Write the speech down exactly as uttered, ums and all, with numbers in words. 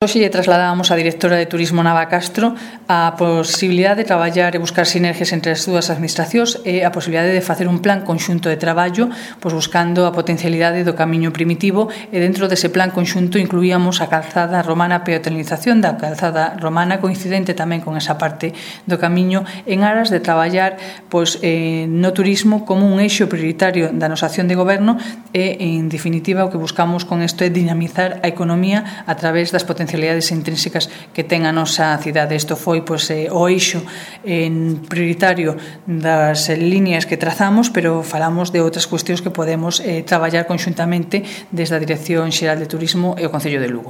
Hoxe lle trasladábamos á directora de Turismo Nava Castro a posibilidade de traballar e buscar sinergias entre as dúas administracións e a posibilidade de facer un plan conxunto de traballo, pois buscando a potencialidade do camiño primitivo, e dentro dese plan conxunto incluíamos a calzada romana, a peatonalización da calzada romana, coincidente tamén con esa parte do camiño, en aras de traballar pois, eh, no turismo como un eixo prioritario da nosa acción de goberno e, en definitiva, o que buscamos con isto é dinamizar a economía a través das potencialidades intrínsecas que ten a nosa cidade. Isto foi pois, eh, o eixo en prioritario das eh, líneas que trazamos, pero falamos de outras cuestións que podemos eh, traballar conxuntamente desde a Dirección Xeral de Turismo e o Concello de Lugo.